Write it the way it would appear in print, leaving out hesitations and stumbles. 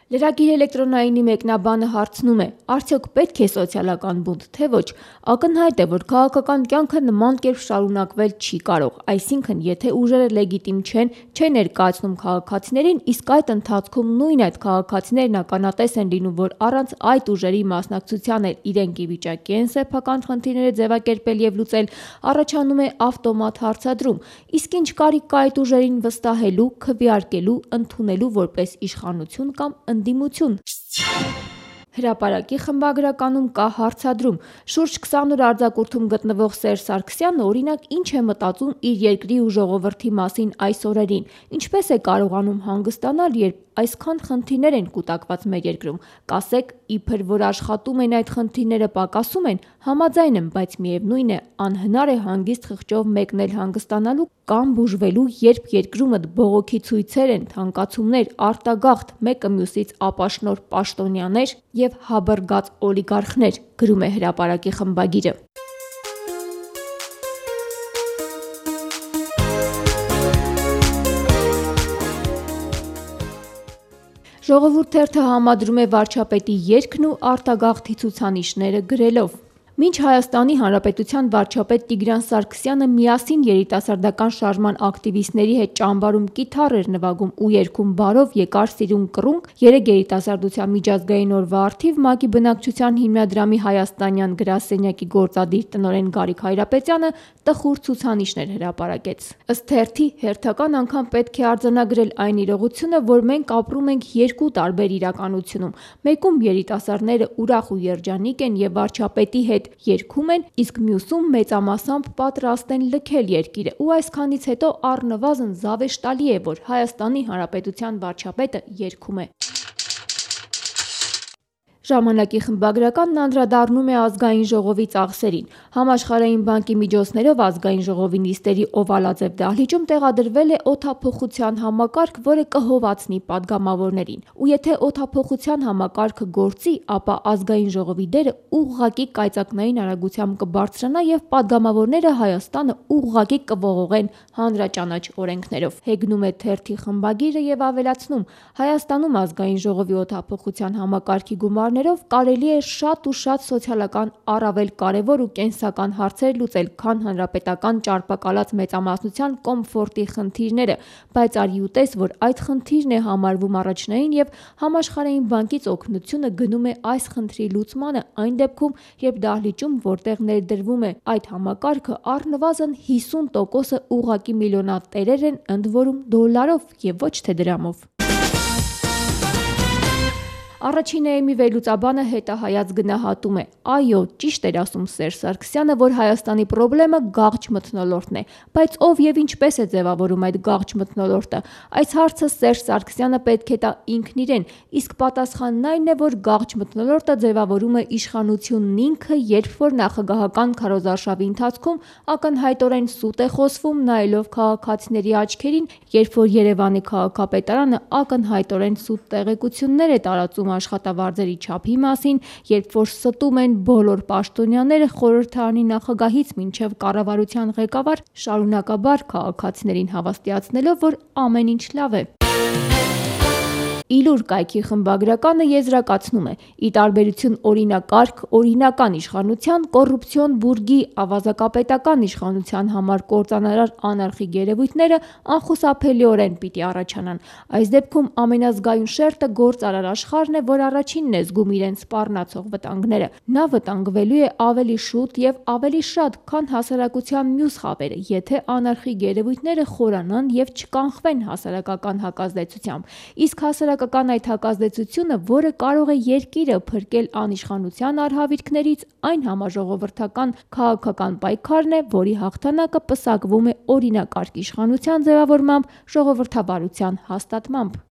Լրագիր էլեկտրոնայինի մեկնաբանը հարցնում է. արդյոք պետք է սոցիալական բունտ, թե ոչ։ Ակնհայտ է, որ քաղաքական կյանքը նման կերպ շարունակվել չի կարող, այսինքն եթե ուժերը լեգիտիմ չեն ներկայացնում քաղաքացիներին, իսկ այդ ընթացքում նույն այդ քաղաքացիներն ականատես են լինում, որ առանց այդ ուժերի մասնակցության էլ իրենք ի վիճակի են սեփական խնդիրները ձևակերպել և լուծել, առաջանում է ավտոմատ հարցադրում, իսկ ինչ կարիք կա այդ ուժերին վստահելու, քվեարկելու, ընդունելու որպես իշխանություն կամ ընդդիմություն։ Հրապարակի խմբագրականում կա հարցադրում. շուրջ 20 օր արձակուրդում գտնվող Սերժ Սարգսյանը օրինակ ինչ է մտածում իր երկրի ու ժողովրդի մասին այս օրերին, ինչպես է կարողանում հանգստանալ, երբ այսքան խնդիրներ են կուտակված մեր երկրում, կասեք, իբր որ աշխատում են այդ խնդիրները պակասում են, համաձայն եմ, բայց միևնույն է, անհնար է հանգիստ խղճով մեկնել հանգստանալու կամ բուժվելու, երբ երկրումդ բողոքի ցույցեր են, թանկացումներ, արտագաղթ, մեկը մյուսից ապաշնորհ պաշտոնյաներ և հավրգած օլիգարխներ, գրում է հրապարակի խմբագիրը։ Ժողովուրդ թերթը համադրում է վարչապետի երգն ու արտագաղթի ցուցանիշները գրելով. Մինչ Հայաստանի Հանրապետության վարչապետ Տիգրան Սարգսյանը միասին երիտասարդական շարժման ակտիվիստների հետ ճամբարում կիթառ էր նվագում ու երգում «Բարով եկար սիրուն կռունկ», երեկ երիտասարդության միջազգային օրվա առթիվ ՄԱԿ-ի բնակչության հիմնադրամի հայաստանյան գրասենյակի գործադիր տնօրեն Գարիկ Հայրապետյանը տխուր ցուցանիշներ հրապարակեց։ Ըստ թերթի, հերթական անգամ պետք է արձանագրել այն իրողությունը, որ մենք ապրում ենք երկու տարբեր իրականությունում, մեկում երիտասարդները ուրախ ու երջանիկ են և վարչապետի հետ երգում են, իսկ մյուսում մեծամասամբ պատրաստ են լքել երկիրը, ու այսքանից հետո առնվազն զավեշտալի է, որ Հայաստանի Հանրապետության վարչապետը երգում է։ Ժամանակի խմբագրականն անդրադառնում է Ազգային ժողովի ծախսերին։ Համաշխարհային բանկի միջոցներով Ազգային ժողովի նիստերի օվալաձև դահլիճում տեղադրվել է օդափոխության համակարգ, որը կհովացնի падգամավորներին։ Ու եթե օդափոխության համակարգը գործի, ապա Ազգային ժողովի դերը ուղղակի կայծակնային արագությամբ կբարձրանա և падգամավորները Հայաստանը ուղղակի կողողեն հանրաճանաչ օրենքներով։ Հեգնում է թերթի խմբագիրը և ավելացնում. Հայաստանում Ազգային ժողովի օդափոխության համակարգի գումարներով կարելի է շատ ու շատ սոցիալական առավել կարևոր ու կենսական հարցեր լուծել, քան հանրապետական ճարպակալած մեծամասնության կոմֆորտի խնդիրները, բայց արի ու տես, որ այդ խնդիրն է համարվում առաջնային և Համաշխարհային բանկից օգնությունը գնում է այս խնդրի լուծմանը այն դեպքում, երբ դահլիճում, որտեղ ներդրվում է այդ համակարգը, առնվազն 50%-ը ուղղակի միլիոնատերեր են, ընդ որում դոլարով և ոչ թե դրամով։ Առաջին էեմի վերլուծաբանը հետահայաց գնահատում է. այո, ճիշտ էր ասում Սերժ Սարգսյանը, որ Հայաստանի պրոբլեմը գաղճ մթնոլորտն է, բայց ով և ինչպես է ձևավորում այդ գաղճ մթնոլորտը, այս հարցը Սերժ Սարգսյանը պետք է տա ինքն իրեն, իսկ պատասխանն այն է, որ գաղճ մթնոլորտը ձևավորում է իշխանությունն ինքը, երբ որ նախագահական քարոզարշավի ընթացքում ակնհայտորեն սուտ է խոսվում, նայելով քաղաքացիների աչքերին, երբ որ Երևանի քաղաքապետարանը ակնհայտորեն սուտ տեղեկություններ է տարածում աշխատավարձերի չափի մասին, երբ որ ստում են բոլոր պաշտոնյաները խորհրդարանի նախագահից մինչև կառավարության ղեկավար, շարունակաբար քաղաքացիներին հավաստիացնելով, որ ամեն ինչ լավ է։ Իլուր կայքի խմբագրականը եզրակացնում է. ի տարբերություն օրինակարգ, օրինական իշխանության, կոռուպցիոն բուրգի ավազակապետական իշխանության համար կործանարար անարխիկ երևույթները անխուսափելիորեն պիտի առաջանան։ Այս դեպքում ամենազգայուն շերտը գործարար աշխարհն է, որ առաջինն է զգում իրեն սպառնացող վտանգները։ Նա վտանգվելու է ավելի շուտ և ավելի շատ, քան հասարակության մյուս խավերը, եթե անարխիկ երևույթները խորանան և չկանխվեն հասարակական հակազդեցությամբ, իսկ հասարակական այդ հակազդեցությունը, որը կարող է երկիրը փրկել անիշխանության արհավիրքներից, այն համաժողովրդական քաղաքական պայքարն է, որի հաղթանակը պսակվում է օրինակարգ իշխանության ձևավորմամբ, ժողովրդավարության հաստատմամբ։